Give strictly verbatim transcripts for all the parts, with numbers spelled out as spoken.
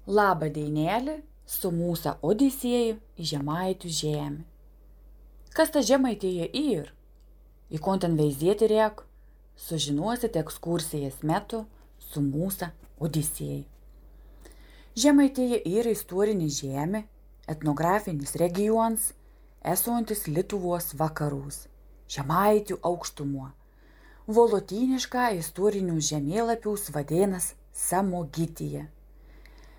Laba deinelė, su mūsų odisėja į Žemaičių žemę. Kas ta Žemaitija yr? Į kon ten veizėti rek, sužinosite ekskursijos metu su mūsų odisėja. Žemaitija yra istorinė žemė, etnografinis regionas, esantis Lietuvos vakarus, Žemaičių aukštumo. Vo lotyniška istorinius žemėlapius vadina Samogitija.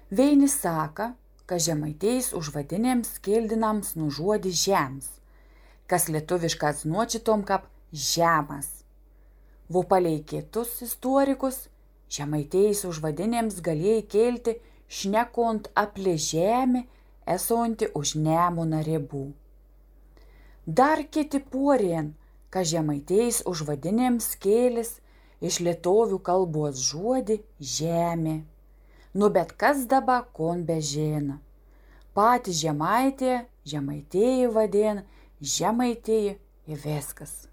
Vieni saka, ka Žemaitijos užvadinėms kildinams nuo žodžio žems, kas lietuviškas značytum kap žemas. Vo palei kitus istorikus, Žemaitijos užvadinėms galėjai kilti šnekant apie žemę, esantį už Nemuno ribų. Dar kiti porien, ka Žemaitijos užvadinėms kėlis iš lietuvių kalbos žodį žemė. Nu, bet kas daba kon bežino. Pati Žemaitija, Žemaitija vadin, Žemaitija ir viskas.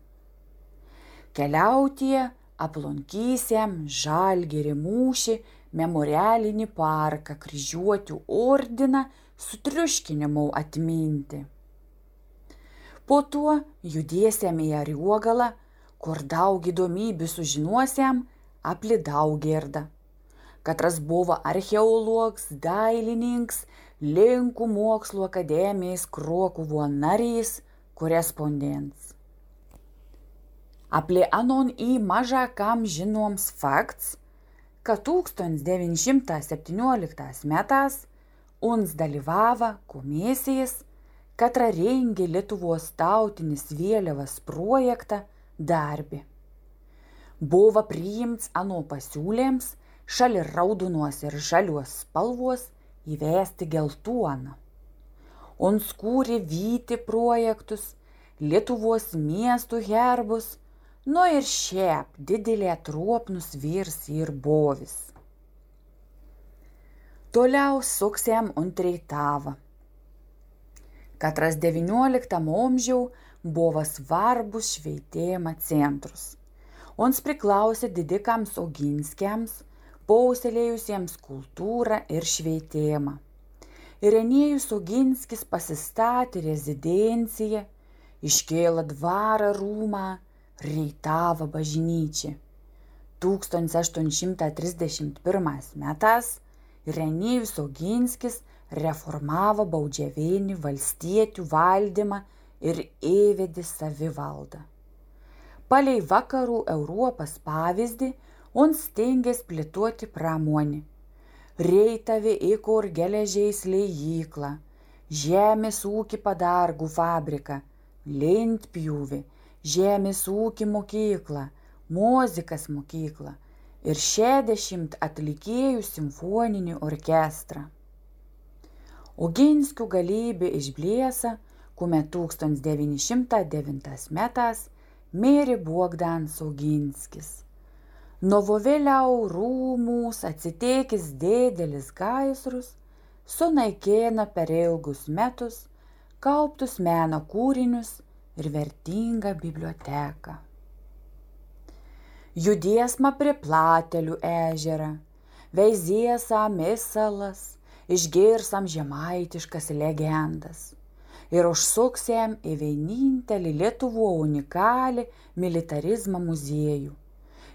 Keliautija aplankysim Žalgirio mūšį, memorialinį parką, Kryžiuočių ordiną, sutriuškinimų atmintį. Po to judėsim į Ariogalą, kur daug įdomybių sužinosim apie Daugirdą. Katras buvo archeologs, dailininks, Lenkų mokslų akademijos Krokuvo narys, korespondents. Apie anon į maža kam žinoms fakts, ka tūkstantis devyni šimtai septynioliktais metais uns dalyvavo komisijos, katra rengė Lietuvos tautinės vėliavos projektą darbi. Buvo priimts ano pasiūlyms šalia raudonos ir žalios spalvos įvesti geltoną. Uns kūrė Vytį projektus, Lietuvos miestų herbus, nu ir šiaip didelė truopnus vyrs ir bovis. Toliau suksim ant Reitavo. Katras devynioliktam amžiau buvo svarbus švietimo centrus. Uns priklausė didikams Oginskiams, puoselėjusiems kultūrą ir švietimą. Irenijus Oginskis pasistatė rezidenciją, iškėlė dvarą rūmą, Reitavo bažnyčią. Tūkstantis aštuoni šimtai trisdešimt pirmais metais Irenijus Oginskis reformavo baudžiavinį valstiečių valdymą ir įvedė savivaldą. Palei vakarų Europos pavyzdį, uns stengės plėtoti pramonę. Reitave įkūrė geležies liejyklą, žemės ūkį padargų fabriką, lentpjūvį, žemės ūkį mokyklą, muzikos mokyklą ir šešiasdešimt atlikėjų simfoninį orkestrą. Oginskių galybė išblėso, kuomet tūkstantis devyni šimtai devintais metais mirė Bogdanas Oginskis. Nuo vėliau rūmus atsitekęs didelis gaisrus sunaikino per ilgus metus kauptus meno kūrinius ir vertingą biblioteką. Judėsma prie Platelių ežerą, Veizėsa misalas, išgirsim žemaitiškas legendas ir užsuksim į vienintelį Lietuvos unikalią militarizmo muziejų.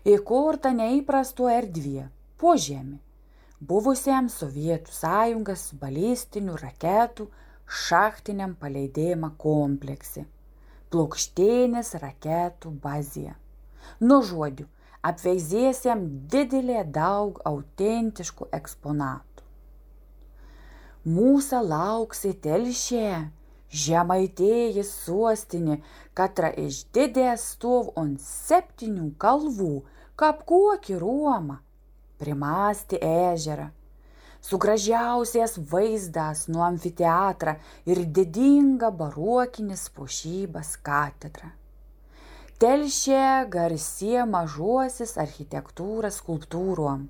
Įkurta neįprasto erdvė, požemį, buvusiam Sovietų Sąjungos balistinių raketų šachtiniam paleidimo komplekse, Plokštėnės raketų bazėje. Nu, žodžiu, apveizėsim didelę daug autentiškų eksponatų. Mūsų lauksi Telšė, Žemaitijos sostinė, katra iš didės stov ant septynių kalvų, kap kokį Romą, primąstė ežerą, su gražiausias vaizdas nuo amfiteatrą ir didinga barokinės puošybos katedra. Telšė garsi mažosios architektūros skulptūrom,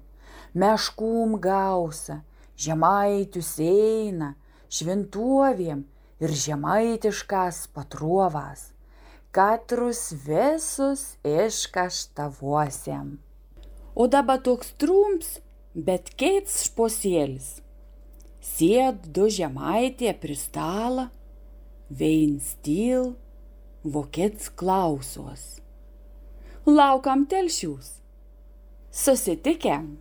meškų gausa, žemaičių seina, šventovėm ir žemaitiškas patrovas, katrus visus iškaštavosiam. O daba toks trumps, bet kits šposėlis. Sēd du žemaitie pri stalą, vein stil, vokets klausōs. Laukam telšius. Susitikem.